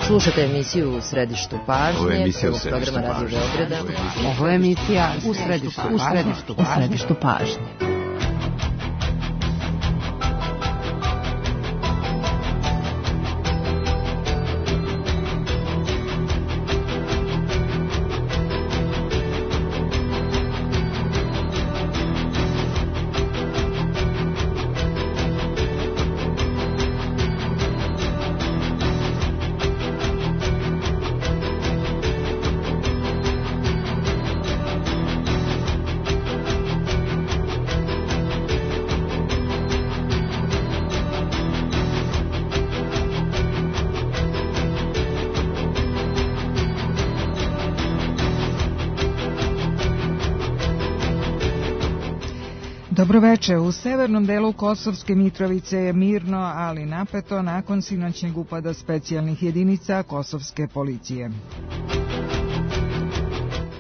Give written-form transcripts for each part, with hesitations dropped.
Slušate emisiju U središtu pažnje, prvog programa Radio Beograda. Ovo je emisija U središtu pažnje. Dobroveče. U severnom delu Kosovske Mitrovice je mirno, ali napeto nakon sinoćnjeg upada specijalnih jedinica kosovske policije.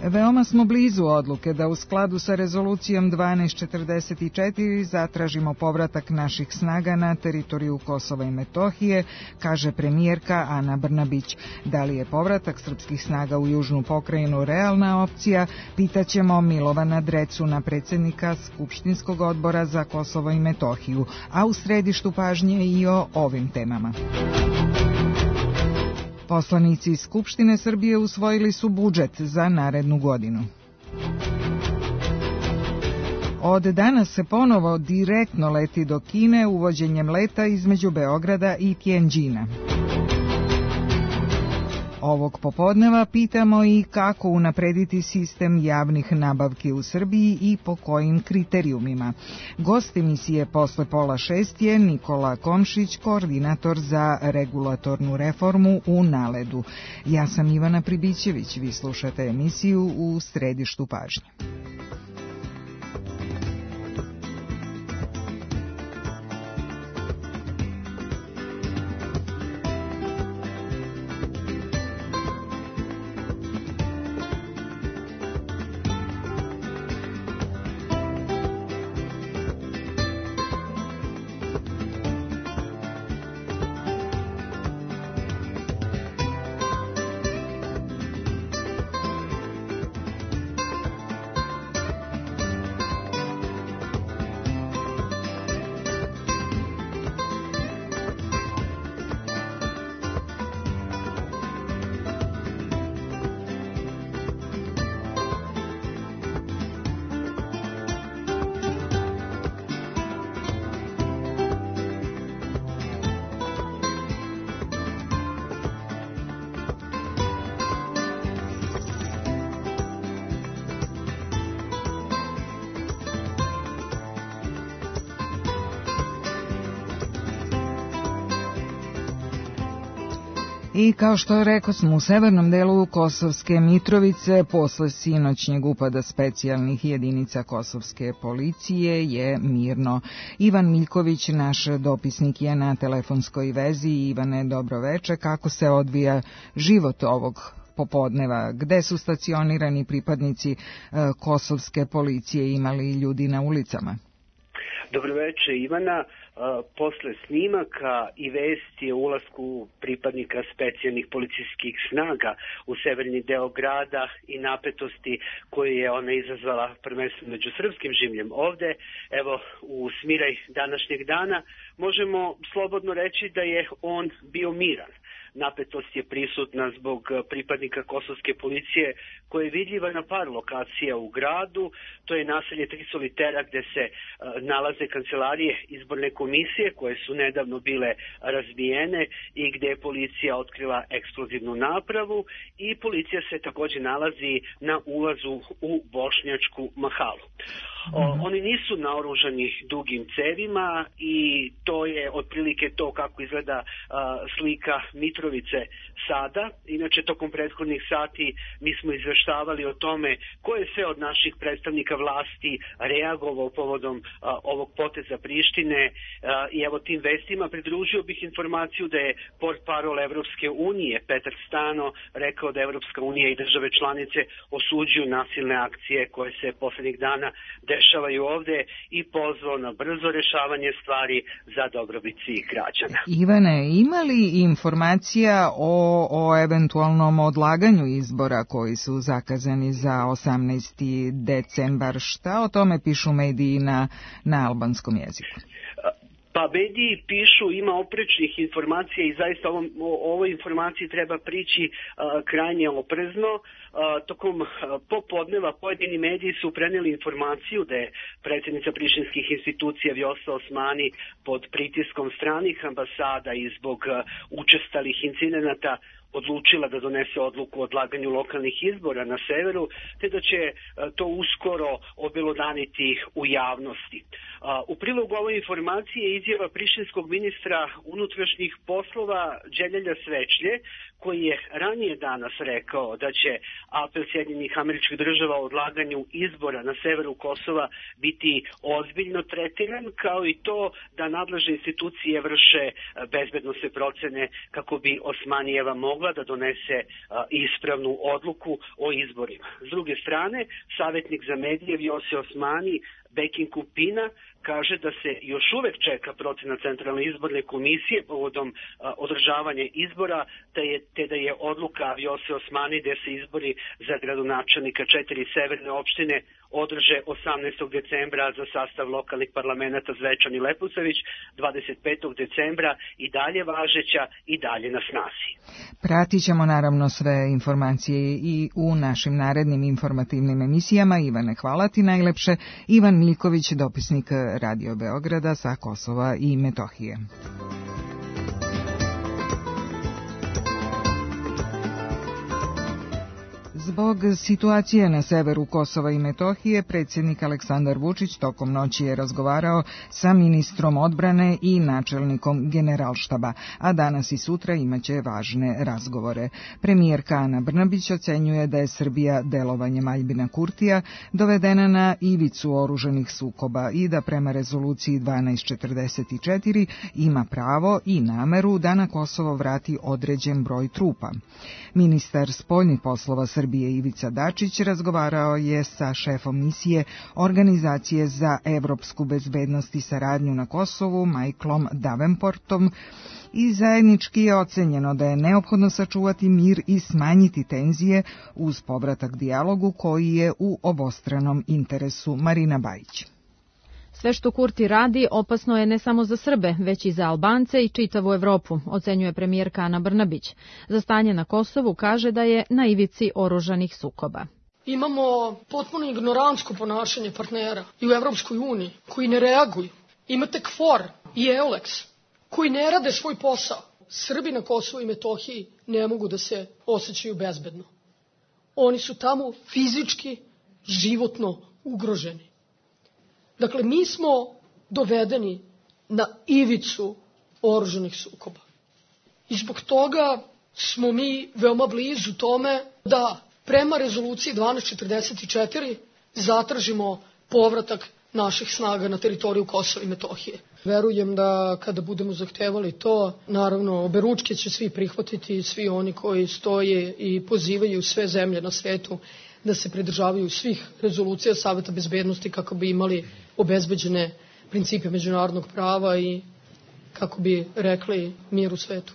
Veoma smo blizu odluke da u skladu sa rezolucijom 1244 zatražimo povratak naših snaga na teritoriju Kosova i Metohije, kaže premijerka Ana Brnabić. Da li je povratak srpskih snaga u južnu pokrajinu realna opcija, pitaćemo Milovana Drecuna, predsjednika Skupštinskog odbora za Kosovo i Metohiju, a u središtu pažnje i o ovim temama. Poslanici iz Skupštine Srbije usvojili su budžet za narednu godinu. Od danas se ponovo direktno leti do Kine uvođenjem leta između Beograda i Tjenđina. Ovog popodneva pitamo i kako unaprediti sistem javnih nabavki u Srbiji i po kojim kriterijumima. Gost emisije posle 5:30 je Nikola Komšić, koordinator za regulatornu reformu u NALED-u. Ja sam Ivana Pribićević, vi slušate emisiju U središtu pažnje. I kao što rekao smo, u severnom delu Kosovske Mitrovice posle sinoćnjeg upada specijalnih jedinica kosovske policije je mirno. Ivan Miljković, naš dopisnik, je na telefonskoj vezi. Ivane, dobroveče. Kako se odvija život ovog popodneva? Gde su stacionirani pripadnici kosovske policije? Imali ljudi na ulicama? Dobroveče, Ivana. Posle snimaka i vesti o ulasku pripadnika specijalnih policijskih snaga u severni deo grada i napetosti koju je ona izazvala prvenstveno među srpskim življem ovde, evo u smiraj današnjeg dana, možemo slobodno reći da je on bio miran. Napetost je prisutna zbog pripadnika kosovske policije koja je vidljiva na par lokacija u gradu. To je naselje Tri solitera gde se nalaze kancelarije izborne komisije koje su nedavno bile razbijene i gde je policija otkrila eksplozivnu napravu i policija se također nalazi na ulazu u Bošnjačku mahalu. Oni nisu naoružani dugim cevima i to je otprilike to kako izgleda slika Mitrovice sada. Inače, tokom prethodnih sati mi smo izveštavali o tome ko je sve od naših predstavnika vlasti reagovao povodom ovog poteza Prištine i evo tim vestima pridružio bih informaciju da je portparol Evropske unije Petar Stano rekao da Evropska unija i države članice osuđuju nasilne akcije koje se poslednjih dana dešavaju ovde i pozvao na brzo rešavanje stvari za dobrobit svih građana. Ivane, ima li informacija o eventualnom odlaganju izbora koji su zakazani za 18. decembar? Šta o tome pišu mediji na albanskom jeziku? Pa mediji pišu, ima oprečnih informacija i zaista ovoj informaciji treba prići krajnje oprezno. Tokom popodneva pojedini mediji su preneli informaciju da je predsjednica prištinskih institucija Vjosa Osmani pod pritiskom stranih ambasada i zbog učestalih incidenata odlučila da donese odluku o odlaganju lokalnih izbora na severu, te da će to uskoro obelodaniti u javnosti. U prilogu ove informacije je izjava prištinskog ministra unutrašnjih poslova Đeljelja Svečlje, koji je ranije danas rekao da će apel Sjedinjenih Američkih Država o odlaganju izbora na severu Kosova biti ozbiljno tretiran, kao i to da nadležne institucije vrše bezbednosne procene kako bi Osmanijeva mogla da donese ispravnu odluku o izborima. S druge strane, savjetnik za medije Vjose Osmani Bekin Kupina kaže da se još uvek čeka procena Centralne izborne komisije povodom održavanja izbora, te da je odluka Vjose Osmani da se izbori za gradonačelnika 4 severne opštine održe 18. decembra za sastav lokalnih parlamenta Zvečan i Leposavić, 25. decembra i dalje važeća i dalje na snazi. Pratit ćemo naravno sve informacije i u našim narednim informativnim emisijama. Ivane, hvala ti najlepše. Ivan Miljković, dopisnik Radio Beograda sa Kosova i Metohije. Zbog situacije na severu Kosova i Metohije, predsjednik Aleksandar Vučić tokom noći je razgovarao sa ministrom odbrane i načelnikom Generalštaba, a danas i sutra imaće važne razgovore. Premijerka Ana Brnabić ocenjuje da je Srbija delovanjem Aljbina Kurtija dovedena na ivicu oružanih sukoba i da prema rezoluciji 1244 ima pravo i nameru da na Kosovo vrati određen broj trupa. Ministar spoljnih poslova Srbije Ivica Dačić razgovarao je sa šefom misije Organizacije za evropsku bezbednost i saradnju na Kosovu, Michaelom Davenportom, i zajednički je ocenjeno da je neophodno sačuvati mir i smanjiti tenzije uz povratak dijalogu koji je u obostranom interesu. Marina Bajić. Sve što Kurti radi opasno je ne samo za Srbe, već i za Albance i čitavu Evropu, ocenjuje premijerka Ana Brnabić. Za stanje na Kosovu kaže da je na ivici oružanih sukoba. Imamo potpuno ignorantsko ponašanje partnera i u Evropskoj uniji koji ne reaguju. Imate KFOR i EULEX koji ne rade svoj posao. Srbi na Kosovu i Metohiji ne mogu da se osjećaju bezbedno. Oni su tamo fizički, životno ugroženi. Dakle, mi smo dovedeni na ivicu oružanih sukoba. I zbog toga smo mi veoma blizu tome da prema rezoluciji 1244 zatražimo povratak naših snaga na teritoriju Kosova i Metohije. Verujem da kada budemo zahtevali to, naravno, oberučke će svi prihvatiti, svi oni koji stoje i pozivaju sve zemlje na svetu da se pridržavaju svih rezolucija Saveta bezbednosti kako bi imali obezbeđene principe međunarodnog prava i kako bi rekli mir u svetu.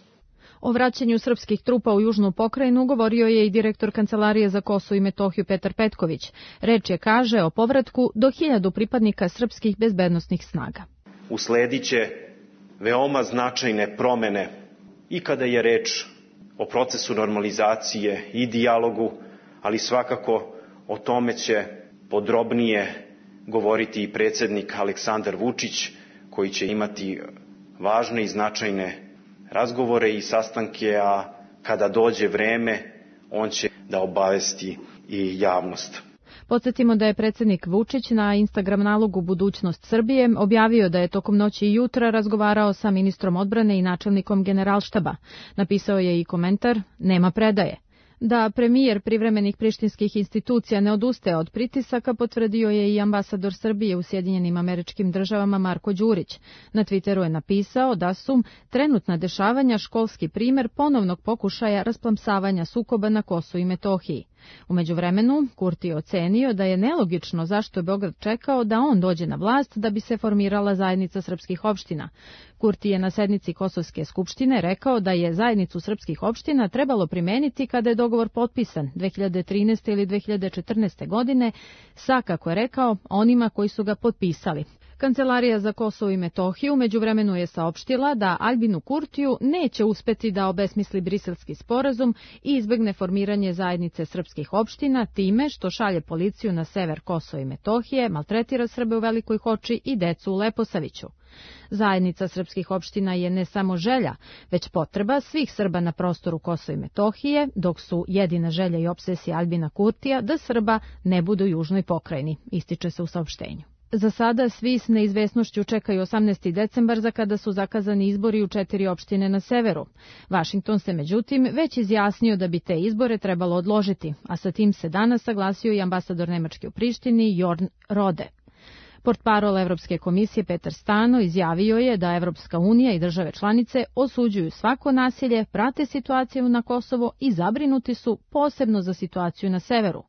O vraćanju srpskih trupa u južnu pokrajinu govorio je i direktor Kancelarije za Kosovo i Metohiju Petar Petković. Reč je, kaže, o povratku do 1000 pripadnika srpskih bezbednosnih snaga. Uslediće veoma značajne promene i kada je reč o procesu normalizacije i dijalogu, ali svakako o tome će podrobnije govoriti i predsjednik Aleksandar Vučić, koji će imati važne i značajne razgovore i sastanke, a kada dođe vreme, on će da obavesti i javnost. Podsjetimo da je predsjednik Vučić na Instagram nalogu Budućnost Srbije objavio da je tokom noći i jutra razgovarao sa ministrom odbrane i načelnikom Generalštaba. Napisao je i komentar: nema predaje. Da premijer privremenih prištinskih institucija ne odustaje od pritisaka potvrdio je i ambasador Srbije u Sjedinjenim Američkim Državama Marko Đurić. Na Twitteru je napisao da su trenutna dešavanja školski primer ponovnog pokušaja rasplamsavanja sukoba na Kosovu i Metohiji. U međuvremenu, Kurti je ocenio da je nelogično zašto je Beograd čekao da on dođe na vlast da bi se formirala zajednica srpskih opština. Kurti je na sednici Kosovske skupštine rekao da je zajednicu srpskih opština trebalo primeniti kada je dogovor potpisan 2013. ili 2014. godine sa, kako je rekao, onima koji su ga potpisali. Kancelarija za Kosovo i Metohiju međuvremenu je saopštila da Albinu Kurtiju neće uspeti da obesmisli Briselski sporazum i izbegne formiranje zajednice srpskih opština time što šalje policiju na sever Kosova i Metohije, maltretira Srbe u Velikoj Hoči i decu u Leposaviću. Zajednica srpskih opština je ne samo želja, već potreba svih Srba na prostoru Kosova i Metohije, dok su jedina želja i opsesija Albina Kurtija da Srba ne budu u južnoj pokrajini, ističe se u saopštenju. Za sada svi s neizvesnošću čekaju 18. decembar za kada su zakazani izbori u 4 opštine na severu. Vašington se međutim već izjasnio da bi te izbore trebalo odložiti, a sa tim se danas saglasio i ambasador Nemačke u Prištini Jorn Rode. Portparol Evropske komisije Petar Stano izjavio je da Evropska unija i države članice osuđuju svako nasilje, prate situaciju na Kosovo i zabrinuti su posebno za situaciju na severu.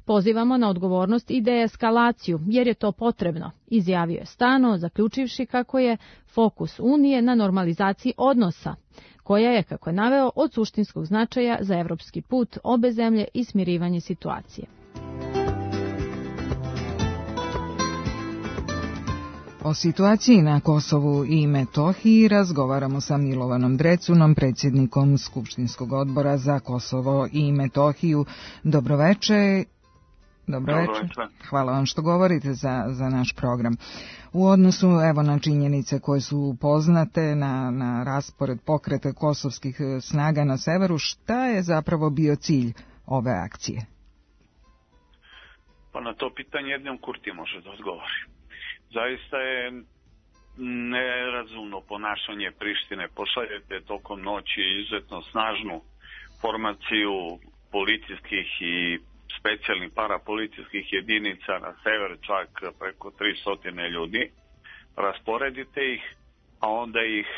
Pozivamo na odgovornost i deeskalaciju, jer je to potrebno, izjavio je Stano, zaključivši kako je fokus Unije na normalizaciji odnosa, koja je, kako je naveo, od suštinskog značaja za evropski put obe zemlje i smirivanje situacije. O situaciji na Kosovu i Metohiji razgovaramo sa Milovanom Drecunom, predsjednikom Skupštinskog odbora za Kosovo i Metohiju. Dobroveče. Dobroveče. Hvala vam što govorite za naš program. U odnosu na činjenice koje su poznate na raspored pokreta kosovskih snaga na severu, šta je zapravo bio cilj ove akcije? Pa na to pitanje jednom Kurti može da odgovori. Zaista je nerazumno ponašanje Prištine. Pošaljete tokom noći izuzetno snažnu formaciju policijskih i specijalnih parapolicijskih jedinica na sever, čak preko 300 ljudi. Rasporedite ih, a onda ih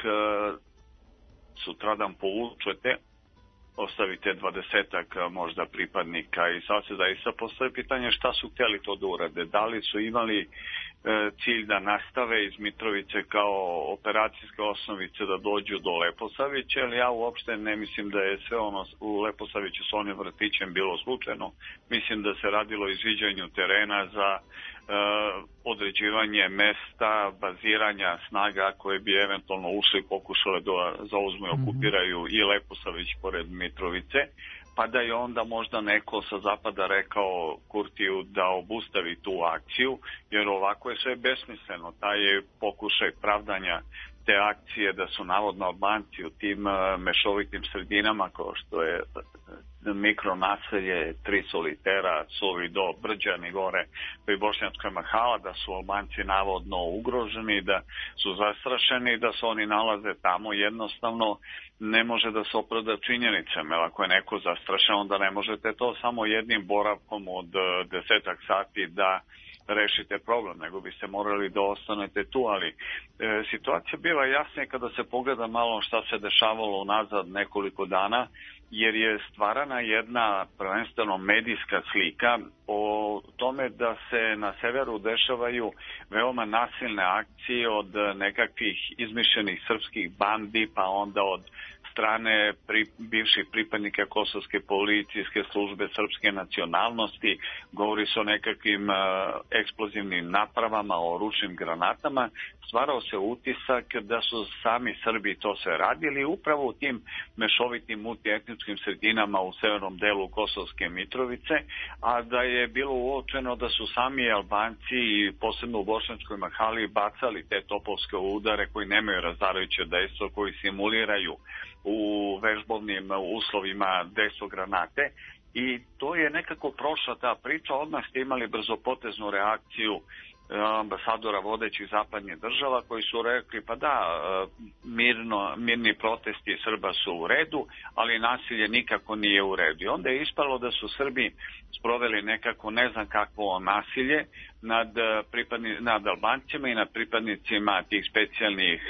sutradan povučete, ostavite 20-ak možda pripadnika i sad se zaista postoje pitanje šta su htjeli to da urade. Da li su imali cilj da nastave iz Mitrovice kao operacijske osnovice da dođu do Leposavića, ali ja uopšte ne mislim da je sve ono u Leposaviću s onim vrtićem bilo slučajno. Mislim da se radilo o izviđanju terena za određivanje mesta, baziranja snaga koje bi eventualno ušli i pokušale da zauzmu i okupiraju i Leposavić pored Mitrovice, pa da je onda možda neko sa zapada rekao Kurtiju da obustavi tu akciju, jer ovako je sve besmisleno. Taj je pokušaj pravdanja te akcije da su navodno Albanci u tim mešovitim sredinama kao što je mikronaselje, Tri Solitera, Suvi Do, Brđani gore, pa i Bošnjačka Mahala, da su Albanci navodno ugroženi, da su zastrašeni, da se oni nalaze tamo. Jednostavno ne može da se opravda činjenicama. Ako je neko zastrašen, onda ne možete to samo jednim boravkom od 10 sati da rešite problem, nego biste morali da ostanete tu, ali situacija bila jasnija kada se pogleda malo šta se dešavalo unazad nekoliko dana, jer je stvarana jedna prvenstveno medijska slika o tome da se na severu dešavaju veoma nasilne akcije od nekakvih izmišljenih srpskih bandi, pa onda od strane bivših pripadnika Kosovske policijske službe srpske nacionalnosti, govori se o nekakvim eksplozivnim napravama, o ručnim granatama. Stvarao se utisak da su sami Srbi to sve radili upravo u tim mešovitim multietničkim sredinama u severnom delu Kosovske Mitrovice, a da je bilo uočeno da su sami Albanci i posebno u Bošnjačkoj Mahali bacali te topovske udare koji nemaju razarajuće dejstvo, koji simuliraju u vežbovnim uslovima dejstvo granate. I to je nekako prošla ta priča. Odmah ste imali brzopoteznu reakciju ambasadora vodećih zapadnih država koji su rekli pa da, mirni protesti Srba su u redu, ali nasilje nikako nije u redu. I onda je ispalo da su Srbi sproveli nekako ne znam kakvo nasilje nad Albancima i nad pripadnicima tih specijalnih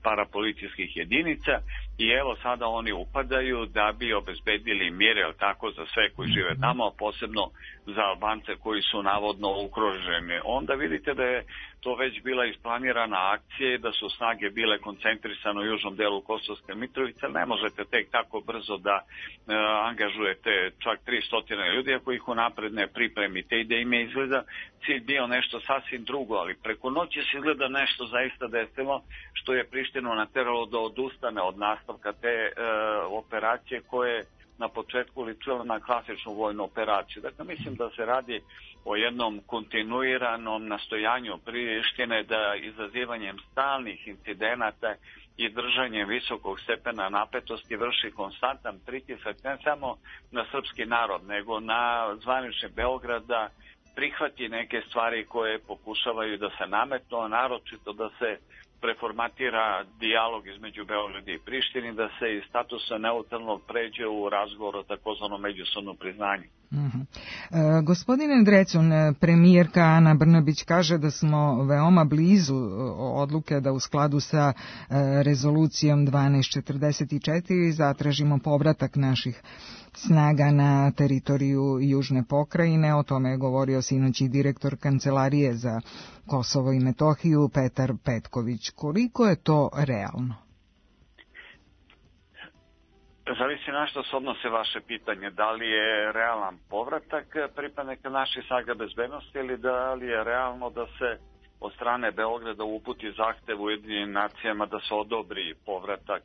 parapolicijskih jedinica i evo sada oni upadaju da bi obezbedili mir, jel tako, za sve koji žive tamo, a posebno za Albance koji su navodno ugroženi. Onda vidite da je to već bila isplanirana akcija i da su snage bile koncentrisane u južnom delu Kosovske Mitrovice. Ne možete tek tako brzo da angažujete čak 300 ljudi ako ih unapred ne pripremite i da im je izgleda cilj bio nešto sasvim drugo, ali preko noći se izgleda nešto zaista desilo što je Prištinu nateralo da odustane od nastavka te operacije koje na početku ličila na klasičnu vojnu operaciju. Dakle, mislim da se radi o jednom kontinuiranom nastojanju Prištine da izazivanjem stalnih incidenata i držanjem visokog stepena napetosti vrši konstantan pritisak ne samo na srpski narod, nego na zvanični Beograd da prihvati neke stvari koje pokušavaju da se nametnu, a naročito da se preformatira dijalog između Beograda i Prištine, da se iz statusa neutralnog pređe u razgovor o takozvanom međusobnom priznanju. Gospodine Drecun, premijerka Ana Brnabić kaže da smo veoma blizu odluke da u skladu sa rezolucijom 1244 zatražimo povratak naših snaga na teritoriju Južne pokrajine. O tome je govorio sinoć i direktor Kancelarije za Kosovo i Metohiju Petar Petković. Koliko je to realno? Zavisi na što se odnose vaše pitanje. Da li je realan povratak pripadnika naših snaga bezbednosti ili da li je realno da se od strane Beograda uputi zahtev Ujedinjenim nacijama da se odobri povratak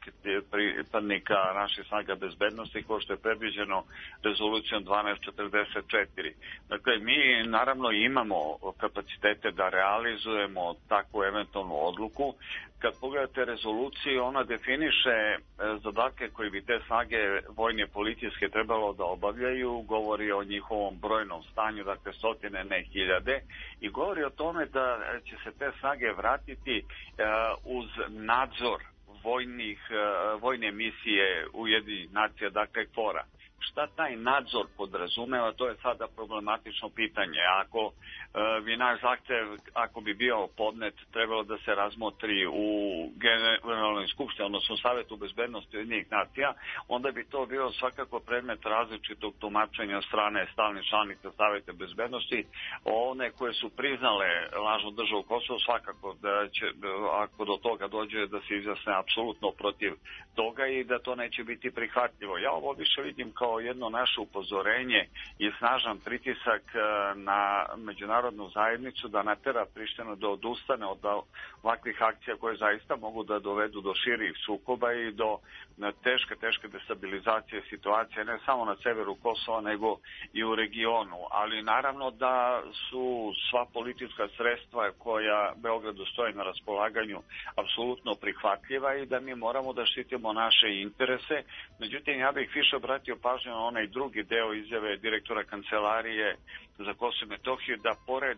pripadnika naših snaga bezbednosti kao što je predviđeno rezolucijom 1244. Dakle, mi naravno imamo kapacitete da realizujemo takvu eventualnu odluku. Kad pogledate rezoluciju, ona definiše zadatke koji bi te snage vojne policijske trebalo da obavljaju, govori o njihovom brojnom stanju, dakle stotine, ne hiljade, i govori o tome da će se te snage vratiti uz nadzor vojne misije Ujedinjenih nacija, dakle KFOR-a. Šta taj nadzor podrazumeva, to je sada problematično pitanje. Ako bi naš zahtev, ako bi bio podnet, trebalo da se razmotri u Generalnoj skupštini, odnosno Savetu bezbednosti Ujedinjenih nacija, onda bi to bio svakako predmet različitog tumačenja od strane stalnih članica Saveta bezbednosti. One koje su priznale lažnu državu Kosovo, svakako da će, ako do toga dođe, da se izjasne apsolutno protiv toga i da to neće biti prihvatljivo. Ja ovo više vidim kao jedno naše upozorenje i snažan pritisak na međunarodnu zajednicu da natera Prištinu da odustane od ovakvih akcija koje zaista mogu da dovedu do širih sukoba i do teške destabilizacije situacije ne samo na severu Kosova nego i u regionu. Ali naravno da su sva politička sredstva koja Beogradu stoje na raspolaganju apsolutno prihvatljiva i da mi moramo da štitimo naše interese. Međutim, ja bih više obratio pažnju na onaj drugi deo izjave direktora Kancelarije za Kosovo i Metohiju, da pored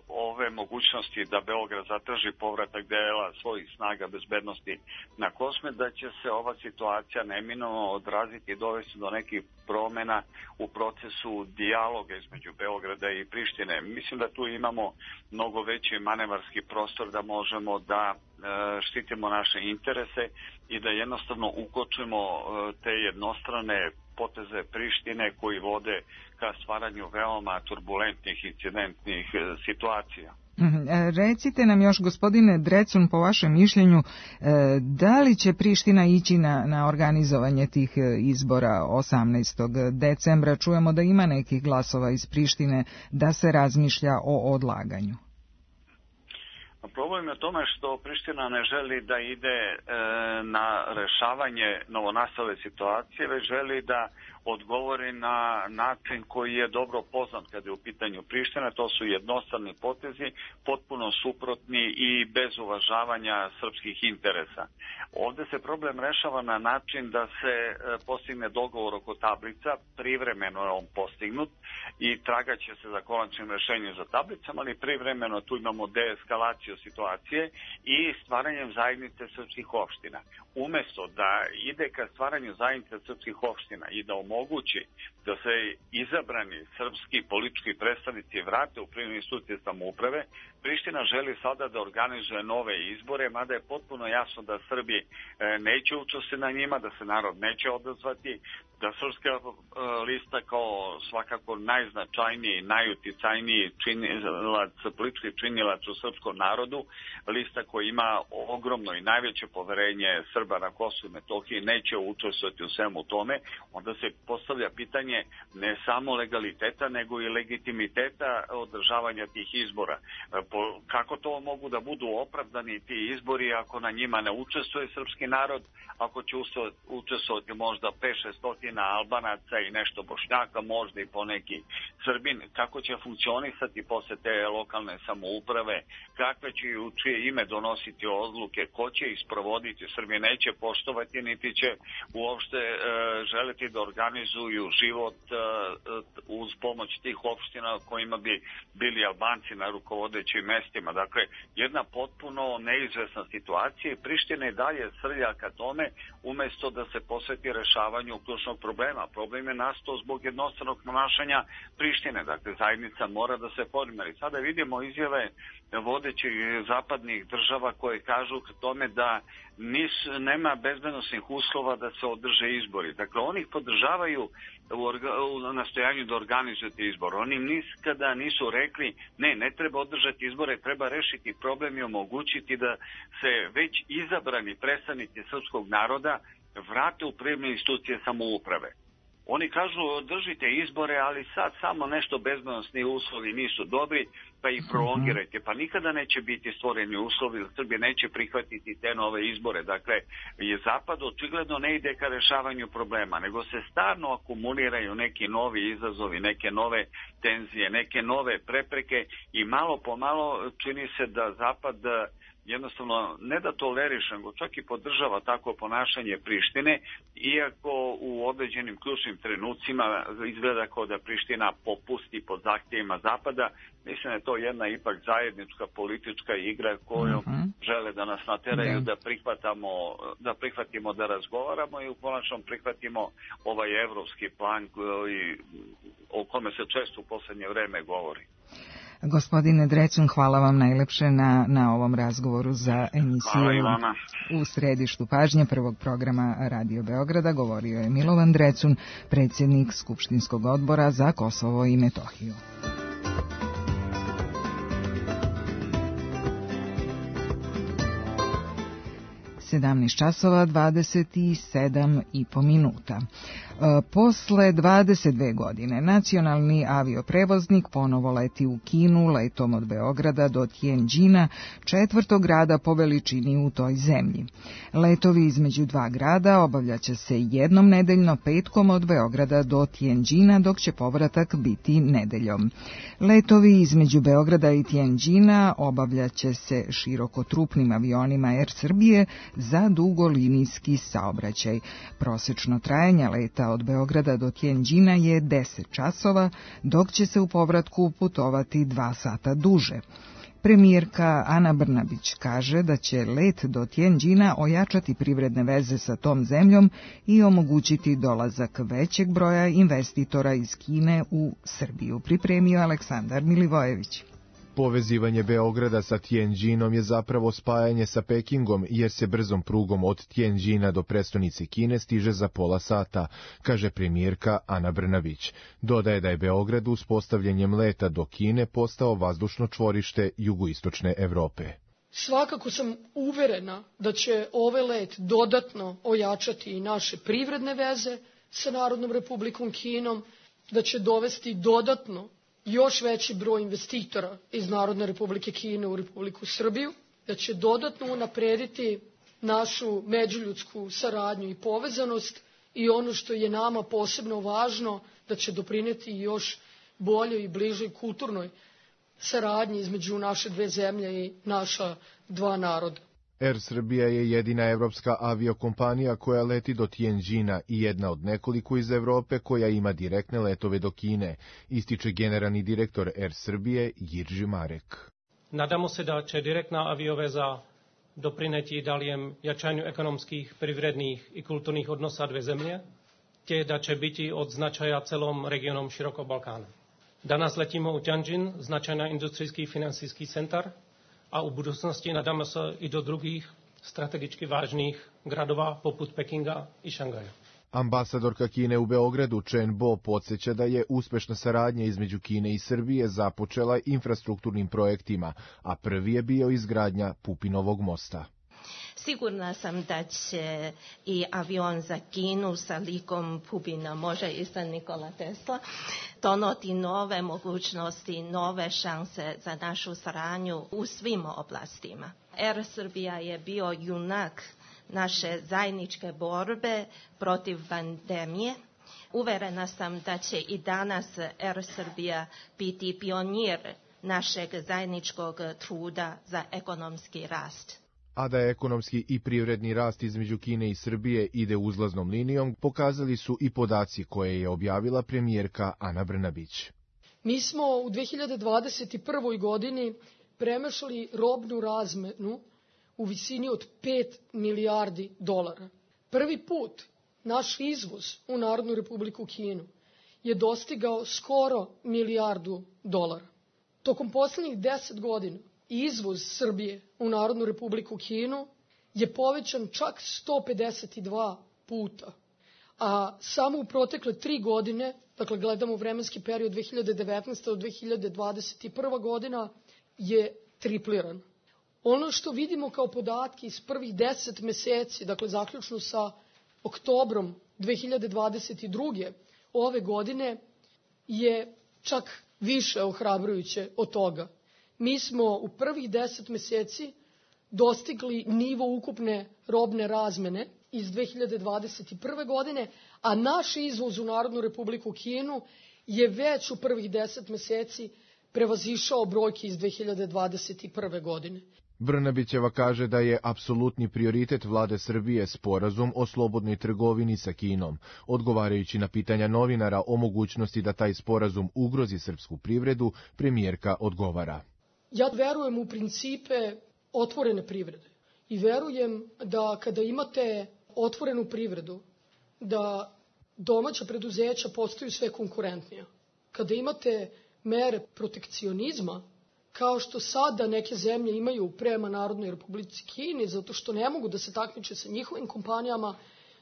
ove mogućnosti da Beograd zatraži povratak dela svojih snaga bezbednosti na Kosme, da će se ova situacija neminovno odraziti i dovesti do nekih promena u procesu dijaloga između Beograda i Prištine. Mislim da tu imamo mnogo veći manevarski prostor da možemo da štitimo naše interese i da jednostavno ukočimo te jednostrane poteze Prištine koji vode ka stvaranju veoma turbulentnih incidentnih situacija. Recite nam još, gospodine Drecun, po vašem mišljenju, da li će Priština ići na organizovanje tih izbora 18. decembra? Čujemo da ima nekih glasova iz Prištine da se razmišlja o odlaganju. Problem je u tome što Priština ne želi da ide na rešavanje novonastale situacije, već želi da odgovori na način koji je dobro poznat kada je u pitanju Priština. To su jednostrani potezi, potpuno suprotni i bez uvažavanja srpskih interesa. Ovde se problem rešava na način da se postigne dogovor oko tablica, privremeno je on postignut i tragaće se za konačnim rešenjem za tablicama, ali privremeno tu imamo deeskalaciju stabilizaciju situacije i stvaranjem zajednice srpskih opština. Umesto da ide ka stvaranju zajednice srpskih opština i da omogući da se izabrani srpski politički predstavnici vrate u privredne institucije samouprave, Priština želi sada da organizuje nove izbore, mada je potpuno jasno da Srbi neće učestvovati na njima, da se narod neće odazvati, da Srpska lista kao svakako najznačajniji, najuticajniji politički činilac u srpskom narodu, lista koja ima ogromno i najveće poverenje Srba na Kosovu i Metohiji, neće učestvovati u svemu tome, onda se postavlja pitanje ne samo legaliteta, nego i legitimiteta održavanja tih izbora. Kako to mogu da budu opravdani ti izbori ako na njima ne učestvuje srpski narod, ako će učestvovati možda 5-600 Albanaca i nešto Bošnjaka, možda i poneki Srbin, kako će funkcionisati posle te lokalne samouprave, kakve će u čije ime donositi odluke, ko će isprovoditi, Srbi neće poštovati, niti će uopšte želeti da organizuju život uz pomoć tih opština kojima bi bili Albanci na rukovodećim mestima. Dakle, jedna potpuno neizvesna situacija i Priština i dalje srlja ka tome umesto da se posveti rešavanju ključnog problema. Problem je nastao zbog jednostranog ponašanja Prištine. Dakle, zajednica mora da se podmeri. Sada vidimo izjave vodećih zapadnih država koje kažu k tome da nema bezbednosnih uslova da se održe izbori. Dakle, oni ih podržavaju u nastojanju da organizujete izbor. Oni nikada nisu rekli ne treba održati izbore, treba rešiti problem i omogućiti da se već izabrani predstavnici srpskog naroda vrate u privredne institucije samouprave. Oni kažu održite izbore, ali sad samo nešto bezbednosni uslovi nisu dobri, pa ih prolongirajte. Pa nikada neće biti stvoreni uslovi, Srbija neće prihvatiti te nove izbore. Dakle, Zapad očigledno ne ide ka rešavanju problema, nego se stalno akumuliraju neki novi izazovi, neke nove tenzije, neke nove prepreke i malo po malo čini se da Zapad jednostavno ne da toleriše, nego čak i podržava takvo ponašanje Prištine, iako u određenim ključnim trenucima izgleda kao da Priština popusti pod zahtjevima Zapada. Mislim da je to jedna ipak zajednička politička igra koju žele da nas nateraju da prihvatimo da razgovaramo i u konačnom prihvatimo ovaj evropski plan o kome se često u poslednje vreme govori. Gospodine Drecun, hvala vam najlepše na ovom razgovoru za emisiju U središtu pažnje prvog programa Radio Beograda. Govorio je Milovan Drecun, predsjednik Skupštinskog odbora za Kosovo i Metohiju. časova 27,5 Posle 22 godine nacionalni avioprevoznik ponovo leti u Kinu letom od Beograda do Tianjina, četvrtog grada po veličini u toj zemlji. Letovi između dva grada obavljaće se jednom nedeljno petkom od Beograda do Tianjina, dok će povratak biti nedeljom. Letovi između Beograda i Tianjina obavljaće se širokotrupnim avionima Air Srbije za dugolinijski saobraćaj. Prosečno trajanje leta od Beograda do Tianjina je 10 časova, dok će se u povratku putovati 2 sata duže. Premijerka Ana Brnabić kaže da će let do Tianjina ojačati privredne veze sa tom zemljom i omogućiti dolazak većeg broja investitora iz Kine u Srbiju. Pripremio Aleksandar Milivojević. Povezivanje Beograda sa Tianjinom je zapravo spajanje sa Pekingom, jer se brzom prugom od Tianjina do prestonice Kine stiže za pola sata, kaže premijerka Ana Brnabić. Dodaje da je Beograd uspostavljanjem leta do Kine postao vazdušno čvorište jugoistočne Evrope. Svakako sam uverena da će ovaj let dodatno ojačati i naše privredne veze sa Narodnom Republikom Kinom, da će dovesti dodatno još veći broj investitora iz Narodne Republike Kine u Republiku Srbiju, da će dodatno unaprediti našu međuljudsku saradnju i povezanost i ono što je nama posebno važno, da će doprineti još boljoj i bližoj kulturnoj saradnji između naše dve zemlje i naša dva naroda. Air Srbija je jedina evropska aviokompanija koja leti do Tianjina i jedna od nekoliko iz Evrope koja ima direktne letove do Kine, ističe generalni direktor Air Srbije Jirži Marek. Nadamo se da će direktna avioveza doprineti daljem jačanju ekonomskih, privrednih i kulturnih odnosa dve zemlje, te da će biti od značaja celom regionom širokog Balkana. Danas letimo u Tianjin, značajna industrijski i finansijski centar, a u budućnosti nadamo se i do drugih strategički važnih gradova poput Pekinga i Šangaja. Ambasadorka Kine u Beogradu Chen Bo podsjeća da je uspešna saradnja između Kine i Srbije započela infrastrukturnim projektima, a prvi je bio izgradnja Pupinovog mosta. Sigurna sam da će i avion za Kinu sa likom Pupina, može i sa Nikola Tesla, donoti nove mogućnosti, nove šanse za našu saradnju u svim oblastima. Air Srbija je bio junak naše zajedničke borbe protiv pandemije. Uverena sam da će i danas Air Srbija biti pionir našeg zajedničkog truda za ekonomski rast. A da je ekonomski i privredni rast između Kine i Srbije ide uzlaznom linijom, pokazali su i podaci koje je objavila premijerka Ana Brnabić. Mi smo u 2021. godini premašili robnu razmenu u visini od 5 milijardi dolara. Prvi put naš izvoz u Narodnu Republiku Kinu je dostigao skoro milijardu dolara. Tokom poslednjih 10 godina izvoz Srbije u Narodnu Republiku Kinu je povećan čak 152 puta, a samo u protekle 3 godine, dakle gledamo vremenski period 2019. do 2021. godina, je tripliran. Ono što vidimo kao podatke iz prvih 10 meseci, dakle zaključno sa oktobrom 2022. ove godine, je čak više ohrabrujuće od toga. Mi smo u prvih 10 meseci dostigli nivo ukupne robne razmene iz 2021. godine, a naš izvoz u Narodnu Republiku Kinu je već u prvih 10 meseci prevazišao brojke iz 2021. godine. Brnabićeva kaže da je apsolutni prioritet vlade Srbije sporazum o slobodnoj trgovini sa Kinom, odgovarajući na pitanja novinara o mogućnosti da taj sporazum ugrozi srpsku privredu, premijerka odgovara. Ja verujem u principe otvorene privrede i verujem da kada imate otvorenu privredu, da domaća preduzeća postaju sve konkurentnija. Kada imate mere protekcionizma, kao što sada neke zemlje imaju prema Narodnoj Republici Kini, zato što ne mogu da se takmiče sa njihovim kompanijama,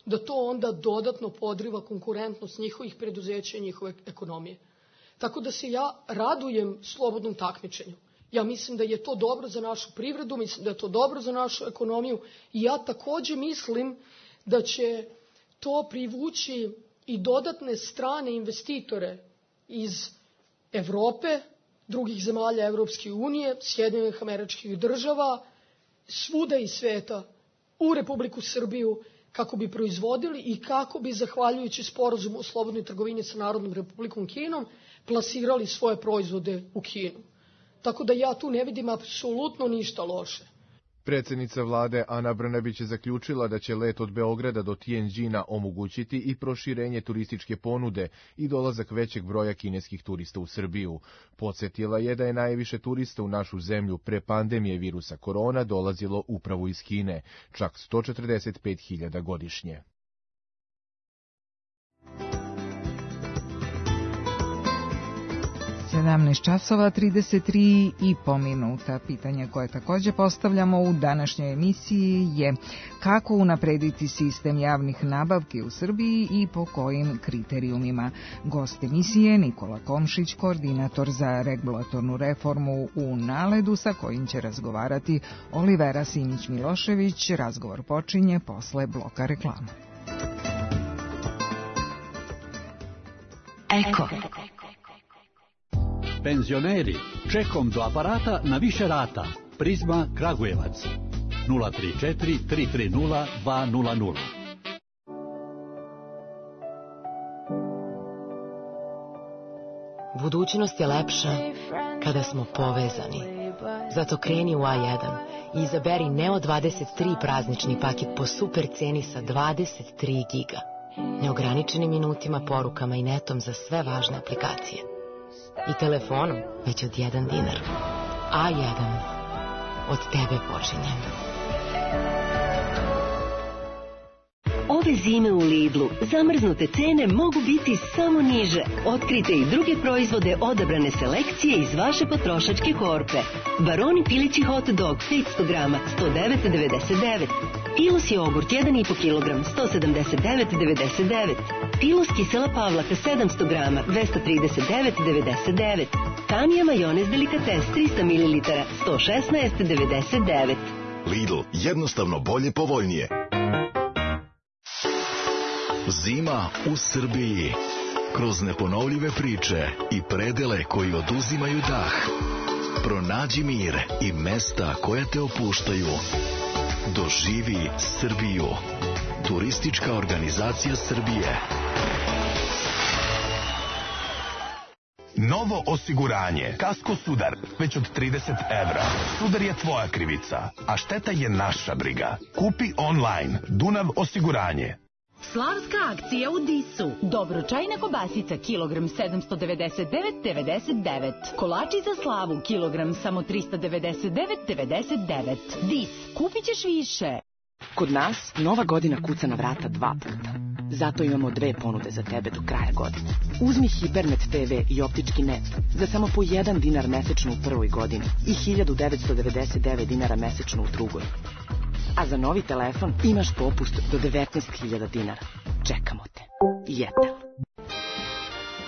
da to onda dodatno podriva konkurentnost njihovih preduzeća i njihove ekonomije. Tako da se ja radujem slobodnom takmičenju. Ja mislim da je to dobro za našu privredu, mislim da je to dobro za našu ekonomiju i ja takođe mislim da će to privući i dodatne strane investitore iz Evrope, drugih zemalja Evropske unije, Sjedinjenih Američkih Država, svuda iz sveta u Republiku Srbiju kako bi proizvodili i kako bi, zahvaljujući sporazumu o slobodnoj trgovini sa Narodnom Republikom Kinom, plasirali svoje proizvode u Kinu. Tako da ja tu ne vidim apsolutno ništa loše. Predsjednica vlade Ana Brnabić je zaključila da će let od Beograda do Tianjina omogućiti i proširenje turističke ponude i dolazak većeg broja kineskih turista u Srbiju. Podsjetila je da je najviše turista u našu zemlju pre pandemije virusa korona dolazilo upravo iz Kine, čak 145.000 godišnje. 17 časova 33,5 minuta. Pitanje koje također postavljamo u današnjoj emisiji je kako unaprediti sistem javnih nabavki u Srbiji i po kojim kriterijumima. Gost emisije Nikola Komšić, koordinator za regulatornu reformu u NALED-u, sa kojim će razgovarati Olivera Simić-Milošević. Razgovor počinje posle bloka reklama. Eko. Penzioneri, čekom do aparata na više rata. Prizma Kragujevac 034 330 200. Budućnost je lepša kada smo povezani. Zato kreni u A1 i izaberi Neo 23 praznični paket po super ceni sa 23 giga. Neograničenim minutima, porukama i netom za sve važne aplikacije. I telefonom već od 1 dinar. A1. Od tebe počinjem. Ove zime u Lidlu zamrznute cene mogu biti samo niže. Otkrite i druge proizvode odabrane selekcije iz vaše potrošačke korpe. Baroni pilići hot dog 500 grama 109,99. Pilus jogurt 1,5 kg 179,99. Pilus kisela pavlaka 700 grama 239,99. Tamija majonez delikates 300 ml 116,99. Lidl, jednostavno bolje, povoljnije. Zima u Srbiji. Kroz neponovljive priče i predele koji oduzimaju dah. Pronađi mir i mesta koja te opuštaju. Doživi Srbiju. Turistička organizacija Srbije. Novo osiguranje. Kasko Sudar. Već od 30 evra. Sudar je tvoja krivica, a šteta je naša briga. Kupi online. Dunav osiguranje. Slavska akcija u Disu. Dobročajna kobasica kilogram 799,99. Kolači za slavu kilogram samo 399,99. Dis, kupit ćeš više. Kod nas Nova godina kuca na vrata 2 puta. Zato imamo 2 ponude za tebe do kraja godine. Uzmi Hipernet TV i optički net za samo po 1 dinar mesečno u prvoj godini i 1999 dinara mesečno u drugoj. A za novi telefon imaš popust do 19.000 dinara. Čekamo te. Jetel.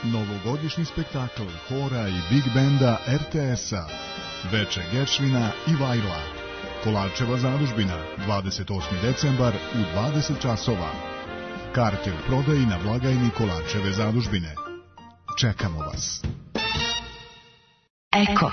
Novogodišnji spektakl hora i big benda RTS-a. Veče Geršvina i Vajla. Kolarčeva zadužbina, 28. decembar u 20 časova. Karte u prodaji na blagajni Kolarčeve zadužbine. Čekamo vas. Eko.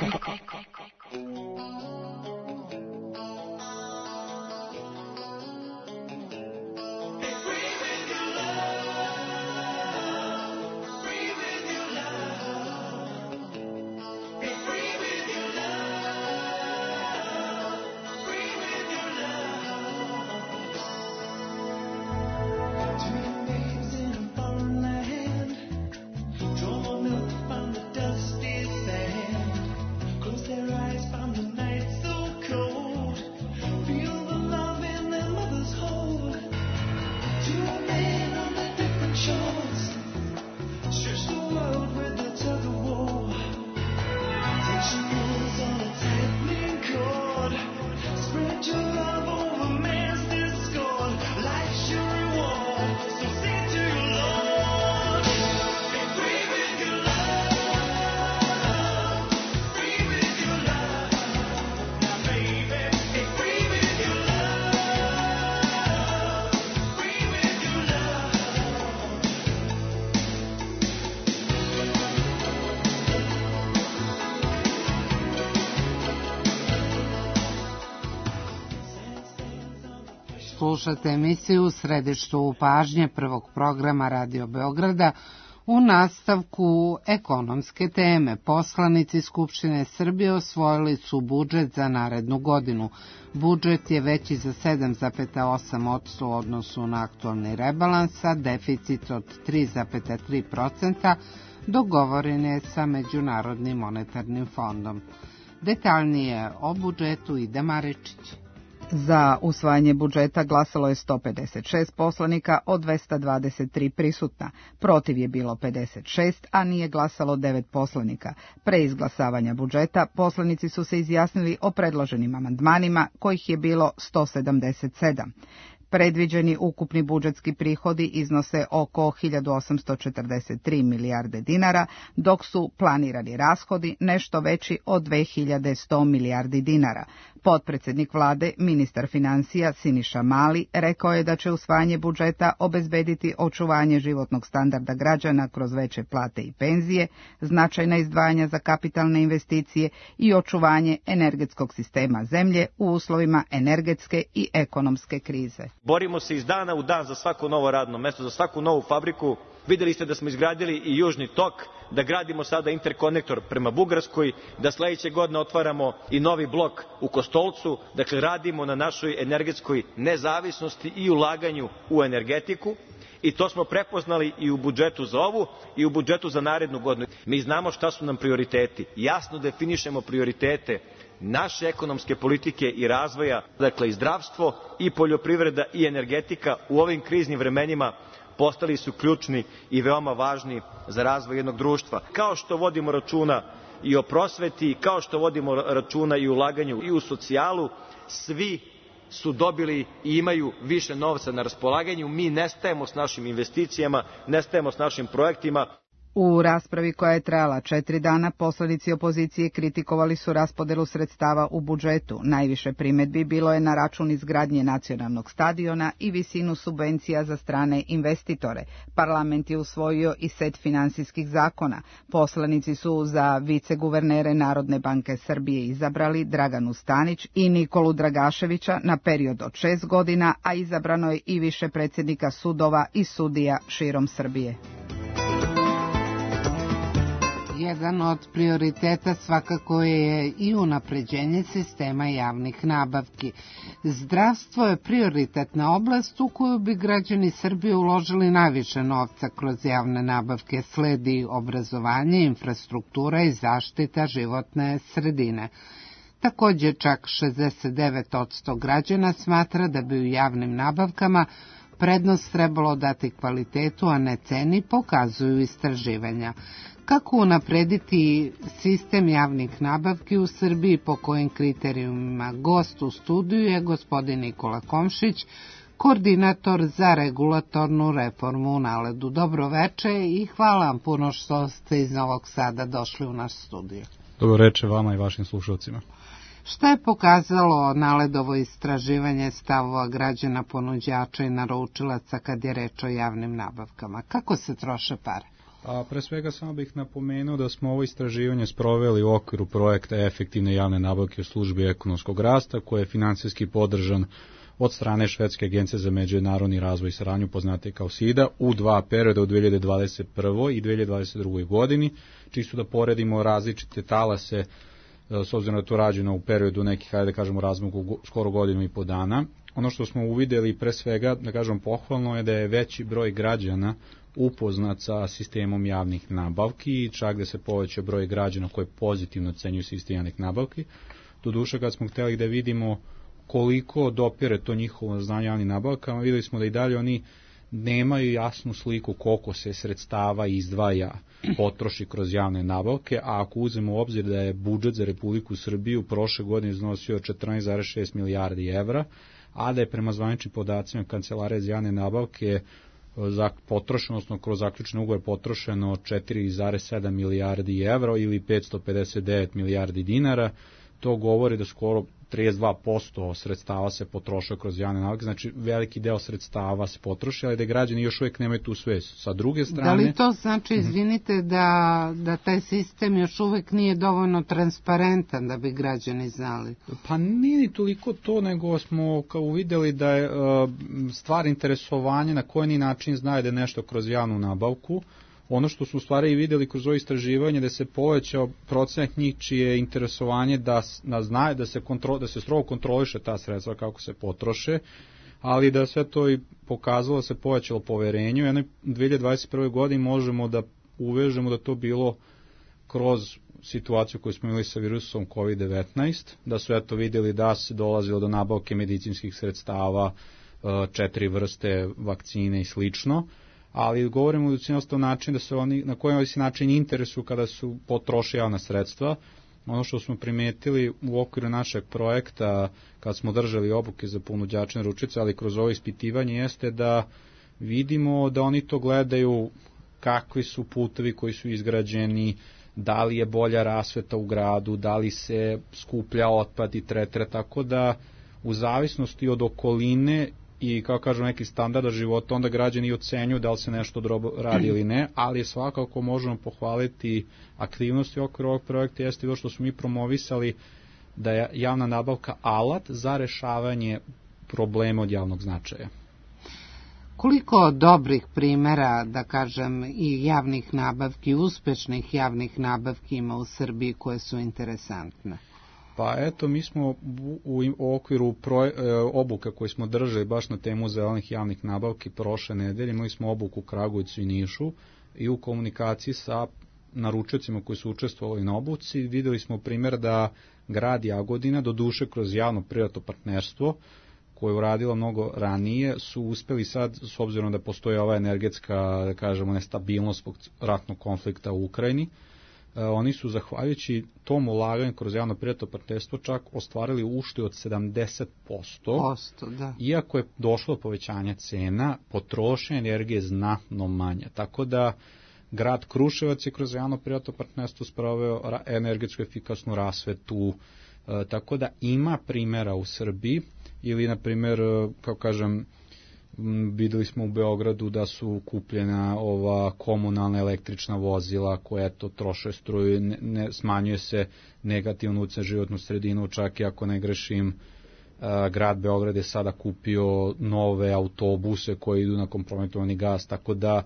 Slušate emisiju u središtu pažnje prvog programa Radio Beograda. U nastavku ekonomske teme poslanici Skupštine Srbije osvojili su budžet za narednu godinu. Budžet je veći za 7,8% u odnosu na aktualni rebalans, a deficit od 3,3% dogovoren je sa Međunarodnim monetarnim fondom. Detaljnije o budžetu Ida Maričić. Za usvajanje budžeta glasalo je 156 poslanika od 223 prisutna. Protiv je bilo 56, a nije glasalo 9 poslanika. Pre izglasavanja budžeta poslanici su se izjasnili o predloženim amandmanima, kojih je bilo 177. Predviđeni ukupni budžetski prihodi iznose oko 1843 milijarde dinara, dok su planirani rashodi nešto veći od 2100 milijardi dinara. Potpredsednik vlade, ministar finansija Siniša Mali, rekao je da će usvajanje budžeta obezbediti očuvanje životnog standarda građana kroz veće plate i penzije, značajna izdvajanja za kapitalne investicije i očuvanje energetskog sistema zemlje u uslovima energetske i ekonomske krize. Borimo se iz dana u dan za svako novo radno mesto, za svaku novu fabriku. Videli ste da smo izgradili i Južni tok, da gradimo sada interkonektor prema Bugarskoj, da sledeće godine otvaramo i novi blok u Kostolcu. Dakle, radimo na našoj energetskoj nezavisnosti i ulaganju u energetiku. I to smo prepoznali i u budžetu za ovu i u budžetu za narednu godinu. Mi znamo šta su nam prioriteti. Jasno definišemo prioritete naše ekonomske politike i razvoja, dakle i zdravstvo, i poljoprivreda, i energetika u ovim kriznim vremenima postali su ključni i veoma važni za razvoj jednog društva. Kao što vodimo računa i o prosveti, kao što vodimo računa i o ulaganju i u socijalu, svi su dobili i imaju više novca na raspolaganju. Mi nestajemo s našim investicijama, nestajemo s našim projektima. U raspravi koja je trajala 4 dana, poslanici opozicije kritikovali su raspodelu sredstava u budžetu. Najviše primedbi bilo je na račun izgradnje nacionalnog stadiona i visinu subvencija za strane investitore. Parlament je usvojio i set finansijskih zakona. Poslanici su za viceguvernere Narodne banke Srbije izabrali Draganu Stanić i Nikolu Dragaševića na period od 6 godina, a izabrano je i više predsjednika sudova i sudija širom Srbije. Jedan od prioriteta svakako je i unapređenje sistema javnih nabavki. Zdravstvo je prioritetna oblast u koju bi građani Srbije uložili najviše novca kroz javne nabavke. Sledi obrazovanje, infrastruktura i zaštita životne sredine. Također čak 69% građana smatra da bi u javnim nabavkama prednost trebalo dati kvalitetu, a ne ceni, pokazuju istraživanja. Kako unaprediti sistem javnih nabavki u Srbiji, po kojim kriterijumima? Gost u studiju je gospodin Nikola Komšić, koordinator za regulatornu reformu u Naledu. Dobro veče i hvala vam puno što ste iz Novog Sada došli u naš studiju. Dobro veče vama i vašim slušalcima. Šta je pokazalo Naledovo istraživanje stavova građana, ponuđača i naručilaca kad je reč o javnim nabavkama? Kako se troše pare? Pre svega samo bih napomenuo da smo ovo istraživanje sproveli u okviru projekta efektivne javne nabavke u službi ekonomskog rasta, koji je finansijski podržan od strane Švedske agencije za međunarodni razvoj i saradnju, poznate kao SIDA, u 2 perioda u 2021. i 2022. godini, čisto da poredimo različite talase, s obzirom da to rađeno u periodu nekih, hajde da kažemo, razmogu skoro godinu i po dana. Ono što smo uvidjeli pre svega, da kažem pohvalno, je da je veći broj građana upoznat sa sistemom javnih nabavki i čak da se poveća broj građana koji pozitivno ocenjuju sistem javnih nabavki. Doduše, kad smo htjeli da vidimo koliko dopire to njihovo znanje javnih nabavkama, vidjeli smo da i dalje oni nemaju jasnu sliku koliko se sredstava izdvaja, potroši kroz javne nabavke, a ako uzmemo u obzir da je budžet za Republiku Srbiju prošle godine iznosio 14,6 milijardi evra, a da je prema zvaničnim podacima Kancelarije za javne nabavke potrošeno, odnosno kroz zaključne ugovore potrošeno 4,7 milijardi evra ili 559 milijardi dinara, to govori da skoro 32% sredstava se potrošio kroz javne nabavke, znači veliki deo sredstava se potroši, ali da građani još uvijek nemaju tu svest. Sa druge strane... Da li to znači, izvinite, da taj sistem još uvijek nije dovoljno transparentan da bi građani znali? Pa nije ni toliko to, nego smo uvidjeli da je stvar interesovanja na koji način znaju da je nešto kroz javnu nabavku. Ono što su u stvari vidjeli kroz ovo istraživanje, da se povećao procenat njih čije interesovanje da znaju da se strogo kontroliše ta sredstva kako se potroše, ali da sve to i pokazalo da se povećalo poverenje. U jednoj 2021. godini možemo da uvežemo da to bilo kroz situaciju koju smo imali sa virusom COVID-19, da su eto vidjeli da se dolazilo do nabavke medicinskih sredstava, 4 vrste vakcine i slično, ali govorimo o način da se oni, na koji način interesuju kada su potroši javna sredstva. Ono što smo primetili u okviru našeg projekta, kad smo držali obuke za ponuđače naručilaca, ali kroz ovo ispitivanje, jeste da vidimo da oni to gledaju kakvi su putevi koji su izgrađeni, da li je bolja rasveta u gradu, da li se skuplja otpad i tretira, tako da u zavisnosti od okoline i, kao kažem, neki standarda života, onda građani ocenjuju da li se nešto dobro radi ili ne, ali svakako možemo pohvaliti aktivnosti okviru ovog projekta, jeste to što smo mi promovisali da je javna nabavka alat za rešavanje problema od javnog značaja. Koliko dobrih primjera, da kažem, i javnih nabavki, uspešnih javnih nabavki ima u Srbiji koje su interesantne? Pa eto, mi smo u okviru obuka koji smo držali baš na temu zelenih javnih nabavki prošle nedelje, imali smo obuku u Kragujevcu i Nišu i u komunikaciji sa naručiocima koji su učestvovali na obuci videli smo primjer da grad Jagodina, doduše kroz javno-privatno partnerstvo, koje je uradilo mnogo ranije, su uspeli sad, s obzirom da postoje ova energetska, da kažemo, nestabilnost zbog ratnog konflikta u Ukrajini, oni su, zahvaljujući tom ulaganju kroz javno-privatno partnerstvo, čak ostvarili uštedu od 70%, da. Iako je došlo do povećanja cena, potrošnja energije znatno manja. Tako da grad Kruševac je kroz javno-privatno partnerstvo sproveo energetsku efikasnu rasvetu, tako da ima primjera u Srbiji, ili na primjer, kao kažem, videli smo u Beogradu da su kupljena ova komunalna električna vozila koja to troše struju, smanjuje se negativno utjecaj životnu sredinu, čak i ako ne grešim, grad Beograd je sada kupio nove autobuse koji idu na kompromitovani gas, tako da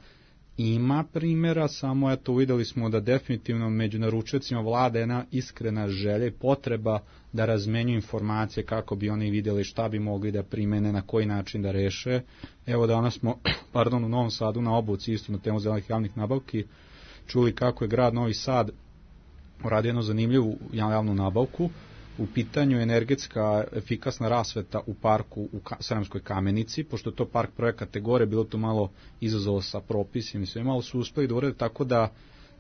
ima primjera, samo eto videli smo da definitivno među naručiocima vlada jedna iskrena želja i potreba da razmenjuju informacije kako bi oni vidjeli šta bi mogli da primene, na koji način da reše. Evo danas smo u Novom Sadu na obuci isto na temu zelenih javnih nabavki čuli kako je grad Novi Sad uradio jednu zanimljivu javnu nabavku. U pitanju energetska efikasna rasveta u parku u Sremskoj Kamenici, pošto je to park prve kategorije, bilo to malo izazov sa propisima i sve, malo su uspeli da urede tako da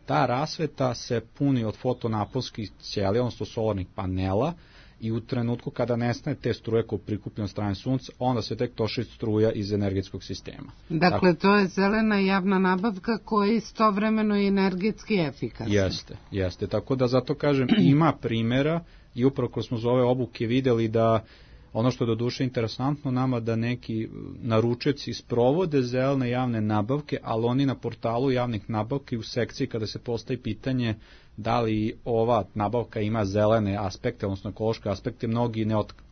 ta rasveta se puni od fotonaponskih ćelija, odnosno solarnih panela, i u trenutku kada nestane te struje koje prikupljene od strane sunca, onda se tek toši struja iz energetskog sistema. Dakle, to je zelena javna nabavka koja je istovremeno i energetski efikasna. Jeste, tako da zato kažem, ima primjera i upravo kroz smo za ove obuke vidjeli da ono što je doduše interesantno nama da neki naručioci sprovode zelene javne nabavke, ali oni na portalu javnih nabavki u sekciji kada se postavi pitanje da li ova nabavka ima zelene aspekte, odnosno ekološke aspekte, mnogi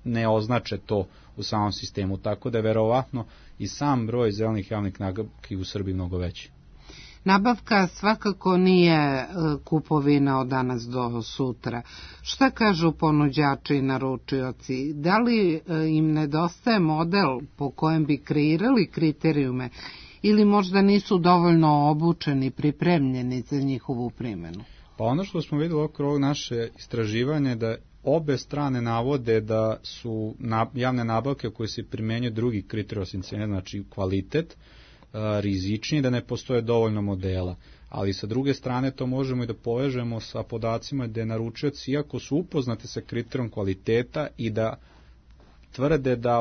ne označe to u samom sistemu, tako da je verovatno i sam broj zelenih javnih nabavki u Srbiji mnogo veći. Nabavka svakako nije kupovina od danas do sutra. Šta kažu ponuđači i naručioci? Da li im nedostaje model po kojem bi kreirali kriterijume ili možda nisu dovoljno obučeni, pripremljeni za njihovu primjenu? Pa ono što smo vidjeli okolo ovog naše istraživanje da obe strane navode da su javne nabavke koje se primjenjuju drugi kriterij osim cene, znači kvalitet, rizičniji, da ne postoje dovoljno modela. Ali sa druge strane to možemo i da povežemo sa podacima da naručioci, iako su upoznati sa kriterijom kvaliteta i da tvrde da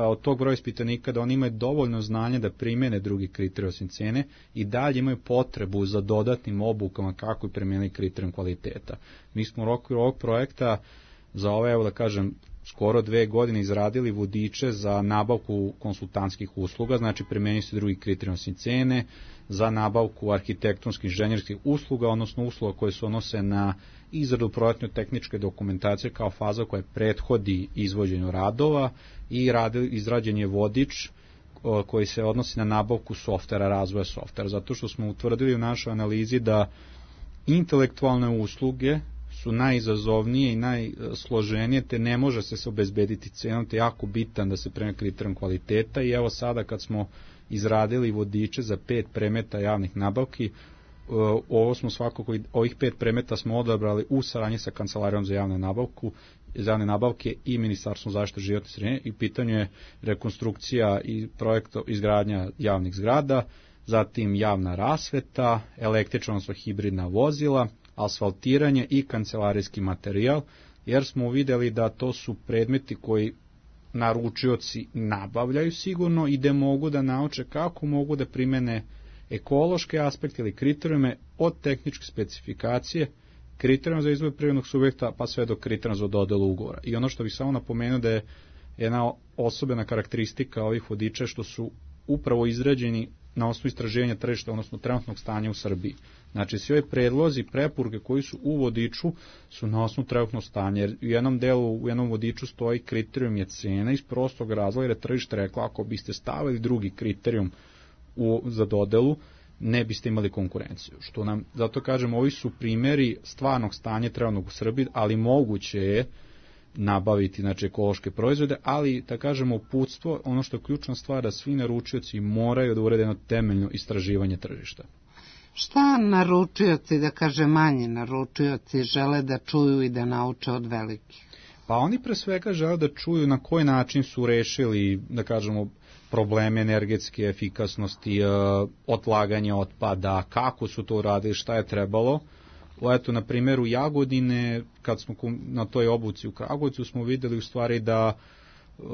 od tog broja ispitanika da oni imaju dovoljno znanja da primjene drugi kriterij osim cene i dalje imaju potrebu za dodatnim obukama kako i primjenili kriterijom kvaliteta. Mi smo u okviru ovog projekta za ove, evo da kažem, skoro 2 godine izradili vodiče za nabavku konsultantskih usluga, znači primjenjuju se drugi kriterij osim cene, za nabavku arhitektonskih inženjerskih usluga, odnosno usluga koje se odnose na izradu projektno-tehničke dokumentacije kao faza koja prethodi izvođenju radova i izrađen je vodič koji se odnosi na nabavku softvera, razvoja softvera, zato što smo utvrdili u našoj analizi da intelektualne usluge su najizazovnije i najsloženije, te ne može se obezbediti cenom, te jako bitan da se prema kriterijom kvaliteta. I evo sada kad smo izradili vodiče za 5 predmeta javnih nabavki, ovih 5 predmeta smo odabrali u saradnji sa Kancelarijom za javne nabavke i Ministarstvom zaštite životne sredine, i pitanju je rekonstrukcija i projekta izgradnja javnih zgrada, zatim javna rasveta, električna, odnosno hibridna vozila, asfaltiranje i kancelarijski materijal, jer smo vidjeli da to su predmeti koji naručioci nabavljaju sigurno i da mogu da nauče kako mogu da primene ekološke aspekte ili kriterijume od tehničke specifikacije, kriterijuma za izbor privrednog subjekta pa sve do kriterijuma za dodelu ugovora. I ono što bih samo napomenuo da je jedna osobena karakteristika ovih vodiča što su upravo izrađeni na osnovu istraživanja tržišta, odnosno trenutnog stanja u Srbiji. Znači, svi ovi predlozi, preporuke koji su u vodiču su na osnovu trenutnog stanja, jer u jednom vodiču stoji kriterijum je cena iz prostog razloga, jer je tržište rekla ako biste stavili drugi kriterijum za dodelu, ne biste imali konkurenciju. Što nam, zato kažem, ovi su primjeri stvarnog stanja trenutnog u Srbiji, ali moguće je nabaviti, znači, ekološke proizvode, ali, da kažemo, uputstvo, ono što je ključna stvar, da svi naručioci moraju da urede jedno temeljno istraživanje tržišta. Šta naručioci, da kaže manji naručioci, žele da čuju i da nauče od velikih? Pa oni pre svega žele da čuju na koji način su rešili, da kažemo, probleme energetske efikasnosti, odlaganje otpada, kako su to uradili, šta je trebalo. Eto, na primjeru Jagodine, kad smo na toj obuci u Kragujevcu, smo videli u stvari da,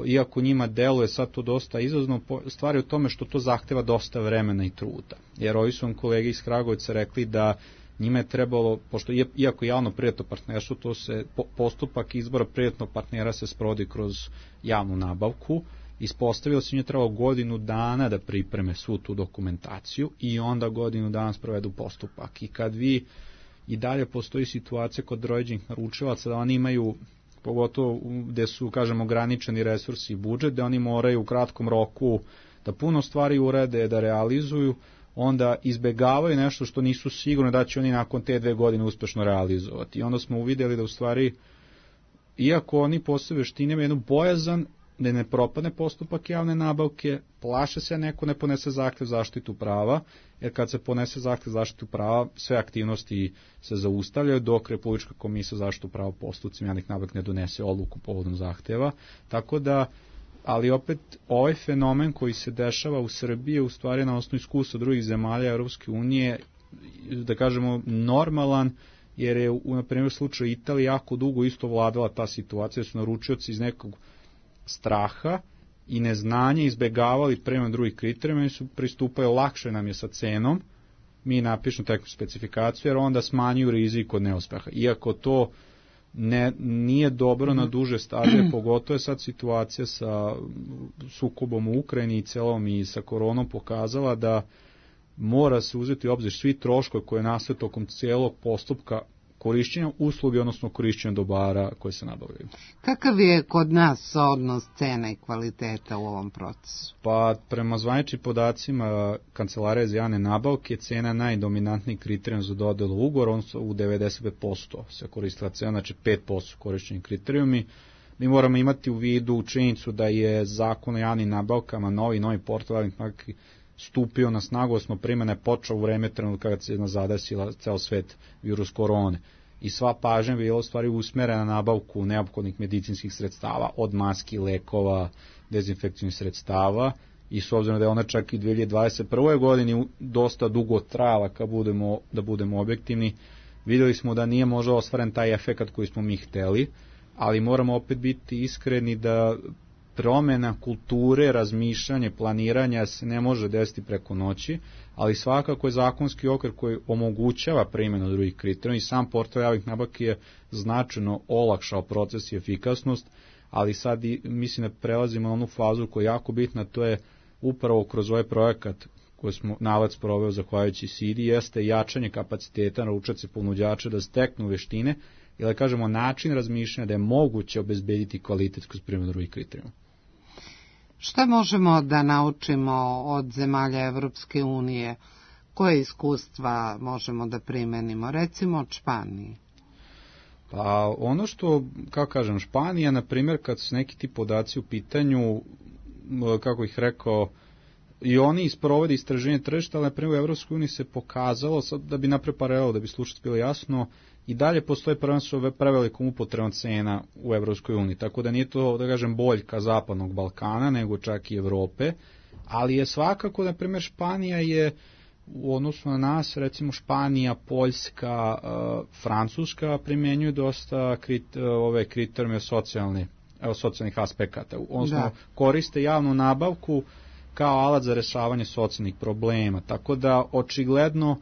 iako njima deluje sad to dosta izazovno, stvari u tome što to zahteva dosta vremena i truda. Jer ovi su vam kolege iz Kragujevca rekli da njima je trebalo, pošto iako javno-privatno partnerstvo, to se, postupak izbora privatnog partnera se sprovodi kroz javnu nabavku, ispostavilo se njima trebalo godinu dana da pripreme svu tu dokumentaciju i onda godinu dana sprovedu postupak. I kad vi, i dalje postoji situacija kod određenih naručilaca da oni imaju, pogotovo gde su, kažemo, ograničeni resursi i budžet, da oni moraju u kratkom roku da puno stvari urede, da realizuju, onda izbegavaju nešto što nisu sigurni da će oni nakon te 2 godine uspešno realizovati. I onda smo uvidjeli da u stvari, iako oni posle veštine imaju jednu bojazan da ne propadne postupak javne nabavke, plaše se neko ne ponese zahtev zaštitu prava, jer kad se ponese zahtev zaštitu prava, sve aktivnosti se zaustavljaju dok Republička komisija za zaštitu prava postupcima javnih nabavki ne donese odluku povodom zahteva. Tako da, ali opet ovaj fenomen koji se dešava u Srbiji je u stvari na osnovu iskustva drugih zemalja Europske unije, da kažemo, normalan, jer je na primjer slučaju Italije jako dugo isto vladala ta situacija, su naručioci iz nekog straha i neznanje izbegavali prema drugih kriterijuma i su pristupaju, lakše nam je sa cenom, mi napišemo takvu specifikaciju, jer onda smanjuju rizik od neuspeha. Iako to nije dobro na duže staze, pogotovo je sad situacija sa sukobom u Ukrajini i celom i sa koronom pokazala da mora se uzeti u obzir svi troškovi koje nastaju tokom cijelog postupka korišćenja usluge, odnosno korišćenja dobara koje se nabavljaju. Kakav je kod nas odnos cena i kvaliteta u ovom procesu? Pa prema zvaničnim podacima Kancelarije za javne nabavke, cena je najdominantniji kriterijum za dodelu ugovora, odnosno u 95% se koristila cena, znači 5% korišćeni kriterijumi. Mi moramo imati u vidu činjenicu da je zakon o javnim nabavkama, novi portal javnih nabavki, stupio na snagu, osmo primjena je počeo u vreme trenutka kada se zadesila ceo svet virus korone. I sva pažnja bila u stvari usmerena na nabavku neophodnih medicinskih sredstava, od maski, lekova, dezinfekcijnih sredstava, i s obzirom da je ona čak i 2021. godini dosta dugo trajala, da budemo objektivni, vidjeli smo da nije možda ostvaren taj efekat koji smo mi hteli, ali moramo opet biti iskreni da promjena kulture, razmišljanje, planiranja se ne može desiti preko noći, ali svakako je zakonski okvir koji omogućava primjenu drugih kriterijuma i sam portal javnih nabavki je značajno olakšao proces i efikasnost, ali sad mislim da prelazimo na onu fazu koja je jako bitna, to je upravo kroz ovaj projekat koji smo NALED sproveo zahvaljujući SIDI, jeste jačanje kapaciteta naručioca i ponuđača da steknu veštine, ili da kažemo način razmišljanja da je moguće obezbediti kvalitet kroz primjenu drugih kriterijuma. Šta možemo da naučimo od zemalja Evropske unije? Koje iskustva možemo da primenimo? Recimo od Španije. Pa ono što, kako kažem, Španija, na primjer, kad su neki ti podaci u pitanju, kako ih rekao, i oni isprovode istraženje tržišta, ali na primjer u Evropskoj uniji se pokazalo, sad da bi napravio paralelu, da bi slušac bilo jasno, i dalje postoje prvenstveno prevelikom upotrebom cena u Evropskoj uniji, tako da nije to, da kažem, boljka zapadnog Balkana, nego čak i Evrope, ali je svakako, na primjer, Španija je u odnosu na nas, recimo Španija, Poljska, Francuska primjenjuju dosta ove kriterijume socijalnih aspekata, odnosno koriste javnu nabavku kao alat za rešavanje socijalnih problema, tako da očigledno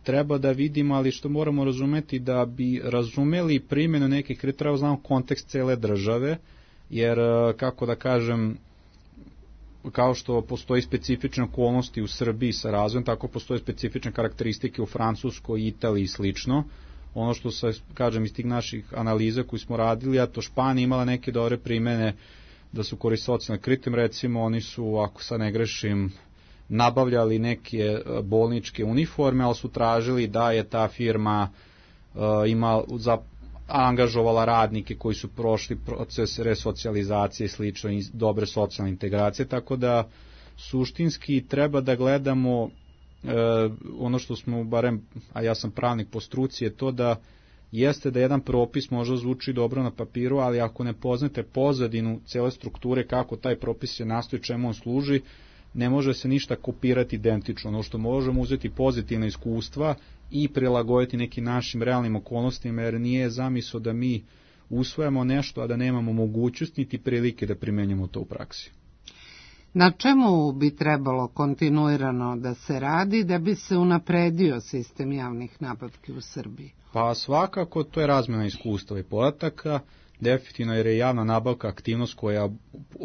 treba da vidimo, ali što moramo razumeti, da bi razumeli primjenu nekih kriterija, treba znamo kontekst cele države, jer, kako da kažem, kao što postoji specifične okolnosti u Srbiji sa razvojem, tako postoje specifične karakteristike u Francuskoj, Italiji i slično. Ono što se, kažem, iz tih naših analiza koji smo radili, a to Španija imala neke dobre primjene da su koristili socijalne kriterijum, recimo oni su, ako sad ne grešim, nabavljali neke bolničke uniforme, ali su tražili da je ta firma angažovala radnike koji su prošli proces resocijalizacije i slično i dobre socijalne integracije, tako da suštinski treba da gledamo ono što smo barem, a ja sam pravnik po struci, je to da jeste da jedan propis možda zvuči dobro na papiru, ali ako ne poznate pozadinu cele strukture kako taj propis je nastoji, čemu on služi, ne može se ništa kopirati identično. Ono što možemo uzeti pozitivna iskustva i prilagoditi nekim našim realnim okolnostima, jer nije zamisao da mi usvojamo nešto, a da nemamo mogućnost niti prilike da primenjamo to u praksi. Na čemu bi trebalo kontinuirano da se radi da bi se unapredio sistem javnih nabavki u Srbiji? Pa svakako to je razmjena iskustva i podataka, definitivno jer je javna nabavka aktivnost koja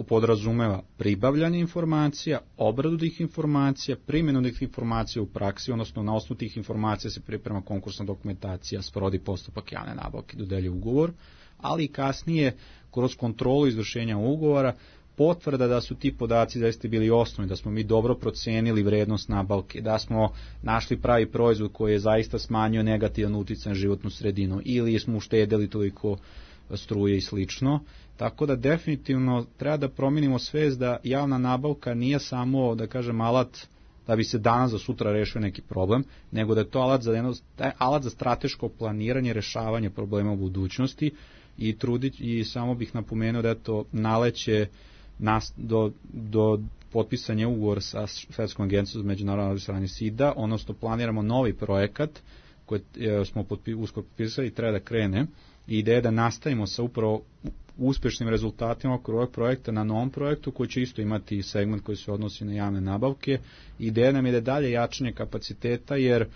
podrazumeva pribavljanje informacija, obradu tih informacija, primjenu tih informacija u praksi, odnosno na osnovu tih informacija se priprema konkursna dokumentacija, sprovodi postupak javne nabavke, dodeljuje ugovor, ali i kasnije kroz kontrolu izvršenja ugovora potvrda da su ti podaci zaista bili osnovni, da smo mi dobro procenili vrednost nabavke, da smo našli pravi proizvod koji je zaista smanjio negativan uticaj na životnu sredinu ili smo uštedeli toliko struje i slično. Tako da definitivno treba da promijenimo svest da javna nabavka nije samo, da kažem, alat da bi se danas za sutra rešio neki problem, nego da je to alat za strateško planiranje, rešavanje problema u budućnosti i samo bih napomenuo da je to naleće do potpisanja ugovora sa Svetskom agencijom za međunarodno saradnju SIDA, odnosno planiramo novi projekat koji smo uskoro potpisali i treba da krene. I ideja je da nastavimo sa upravo uspešnim rezultatima oko ovog projekta na novom projektu koji će isto imati segment koji se odnosi na javne nabavke. Ideja nam je da dalje jačanje kapaciteta, jer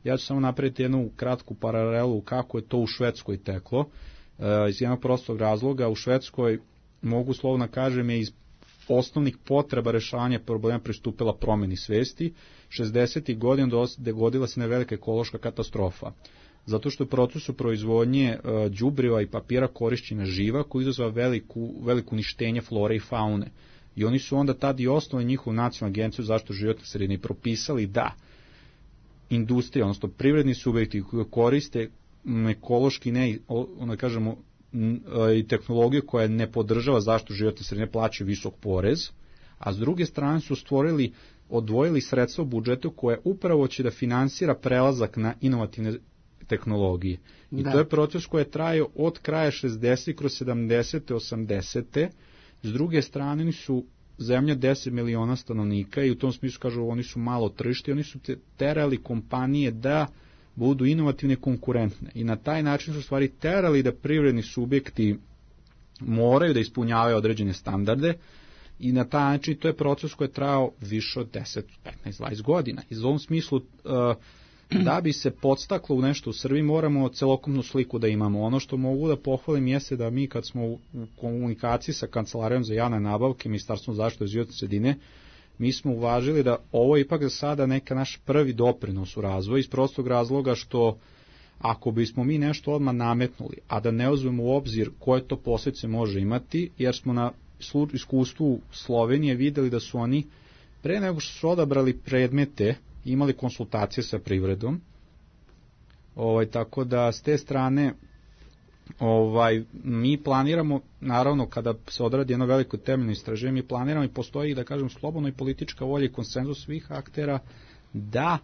ja ću samo napraviti jednu kratku paralelu kako je to u Švedskoj teklo. Iz jednog prostog razloga u Švedskoj, mogu slovno kažem, je iz osnovnih potreba rešavanja problema pristupila promeni svesti. 60. godina dogodila se velika ekološka katastrofa, zato što je u procesu proizvodnje đubriva i papira korišćena živa koji izazva veliko uništenje flore i faune. I oni su onda tad i osnovali njihovu nacionalnu agenciju zaštitu životne sredine i propisali da industrija, odnosno privredni subjekti koji koriste ekološki i tehnologiju koja ne podržava zaštitu životne sredine plaćaju visok porez, a s druge strane su odvojili sredstva u budžetu koje upravo će da finansira prelazak na inovativne tehnologije. I to je proces koji je trajao od kraja 60. kroz 70. 80. S druge strane oni su zemlja 10 miliona stanovnika i u tom smislu kažu oni su malo tržište, oni su terali kompanije da budu inovativne i konkurentne. I na taj način su stvari terali da privredni subjekti moraju da ispunjavaju određene standarde i na taj način to je proces koji je trajao više od 10, 15, 20 godina. I u ovom smislu da bi se podstaklo u nešto u Srbiji moramo celokupnu sliku da imamo. Ono što mogu da pohvalim jeste da mi kad smo u komunikaciji sa Kancelarijom za javne nabavke, Ministarstvom zaštite životne sredine, mi smo uvažili da ovo je ipak za sada neka naš prvi doprinos u razvoju iz prostog razloga što ako bismo mi nešto odmah nametnuli, a da ne uzmemo u obzir koje to posljedice može imati, jer smo na iskustvu Slovenije videli da su oni pre nego što su odabrali predmete imali konsultacije sa privredom, tako da s te strane mi planiramo, naravno kada se odradi jedno veliko temeljno istraživanje, mi planiramo i postoji, da kažem, slobodno i politička volja i konsenzus svih aktera da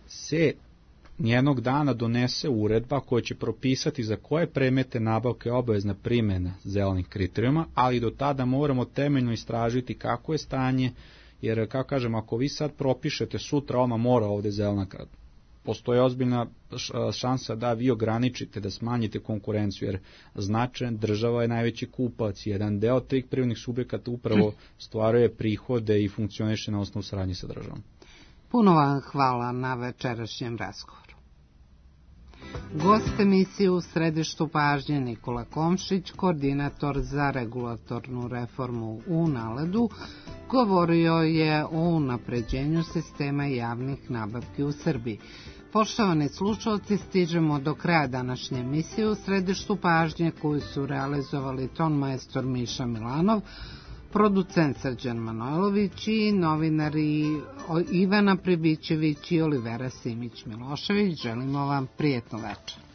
se jednog dana donese uredba koja će propisati za koje predmete nabavke obavezna primjena zelenih kriterijuma, ali do tada moramo temeljno istražiti kako je stanje, jer, kako kažem, ako vi sad propišete sutra odmah mora ovde zelena krad, postoji ozbiljna šansa da vi ograničite, da smanjite konkurenciju, jer značajan država je najveći kupac. Jedan deo tih privrednih subjekata upravo stvaruje prihode i funkcioniše na osnovu saradnje sa državom. Puno vam hvala na večerašnjem razgovoru. Gost emisije u središtu pažnje Nikola Komšić, koordinator za regulatornu reformu u NALED-u, govorio je o unapređenju sistema javnih nabavki u Srbiji. Poštovani slušalci, stižemo do kraja današnje emisije u središtu pažnje koju su realizovali ton majstor Miša Milanov, producent Srđan Manojlović i novinari Ivana Pribićević i Olivera Simić-Milošević. Želimo vam prijetno večer.